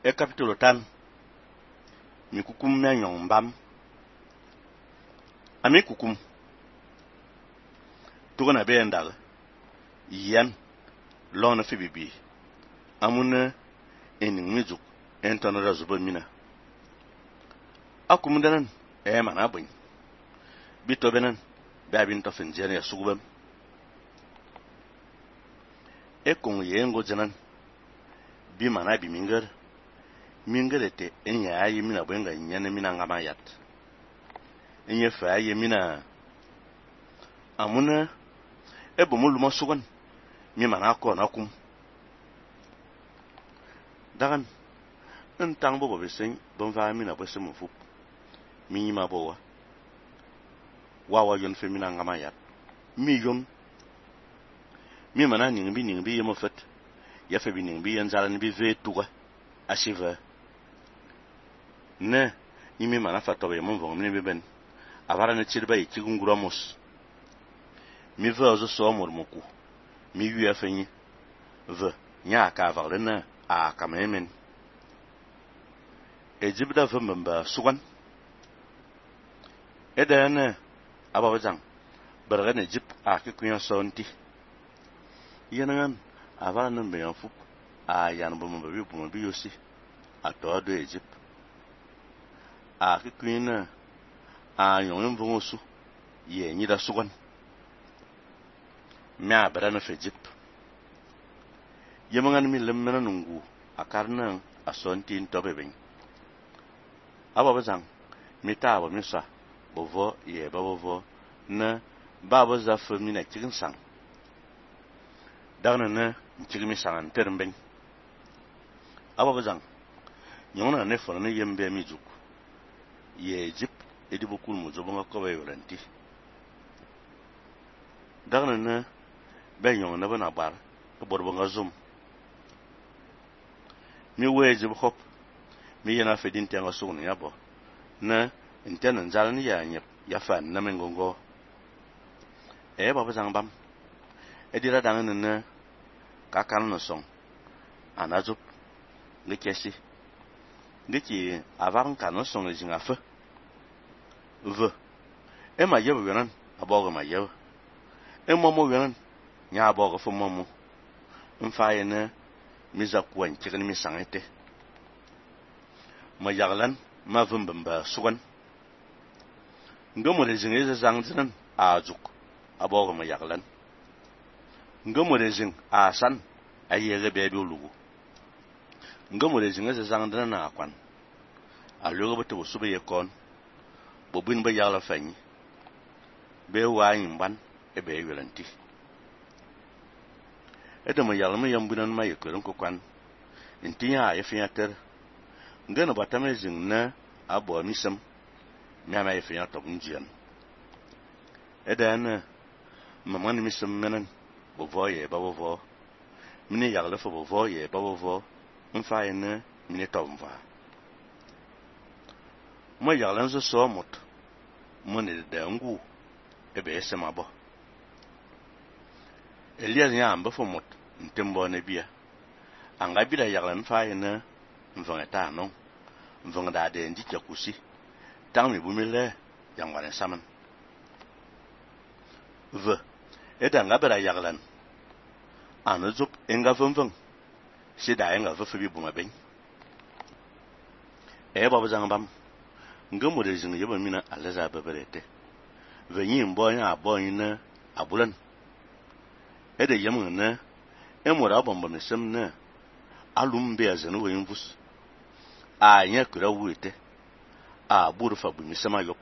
e capitolo tan mi kukum me nyong mbam ami kukum tugana be ndal yan lon fi bibi amuna enin mijuk enton razuba mina akum danan e mana bun bito benan babin to finjere sugubam e kon yengo janan bi mana bi mingerete enya ayi mina bwenga nyane mina ngama yat enye fa ayi mina amuna e bomulu masugan mi mana ko na kum dagan entang bo besen bon va mina bo semu fu mi ma bo wa yon fe mina ngama yat mi yon mi mana ning bi yemo fet ya fe bi ning bi yan zalan bi ve tuga asiva ne imi mana fatobe mon von mi ben avara ne chirba yi kigungura mos mi ve ozo so mormoku mi yu afenyi ve nya ka avarena a kamemen ejibda vembamba sugan edene abawajang bergen ejip a kikunya sonti yenan avara nan be yanfu a yan bomba bi yosi atodo ejip a kikunya a yon vongosu ye nyida sugan mea berana fejip yemangan mi lemmena nungu akarna asonti ntobeben ababazang mitabo misa bovo ye bovo na babo za femina cikin sang dagna na cikin mi sangan terben ababazang nyona ne fona yembe mi juk ye jip edi bokul mo zobonga ko be yoranti dagna na ben yon na bana bar to borbonga zum mi weje bkhop mi yana fedin tenga sugni yabo na intena zalani ya nyep ya fan na mengongo e baba zangbam e dira dangan na ka kan no song anazup ngekesi ngeki avan kan no song jinga fa v e ma yebo yonan aboga ma yebo e momo yonan nya aboga fo momo mfaye na miza kuwan cikin mi sangete ma yaglan ma vumbamba sugan ngomo de zinge zangzinan ajuk aboga ma yaglan ngomo de zing asan ayege bebe lugu ngomo de zinge zangdana na akwan alogo beto sube yekon bobin ba yagla fanyi be wayin ban e be yolanti edama yalma yambunan ma yekoron ko kwan intinya yefiater ngana batame zingna abo misam mama yefia to njian edana mamani misam menan bovoye babovo mini yagla fo bovoye babovo mfa yene mini tomva mo yaglan zo so mot moni de ngu ebe sema bo Elias nya amba fo mot ntembo ne bia anga bila yaglan fa yene mvanga ta no mvanga da de ndi jakusi tangmi bumile yangwane saman v eda nga bera yaglan anazup enga vumvung sida enga vufi buma ben e baba zangbam ngamo de zing yeba mina alaza babarete venyi mbo nya abon na abulan ede yamun na emora bomba mesem na alumbe azenu wenvus a nya kura wuete a buru fa bu misema yok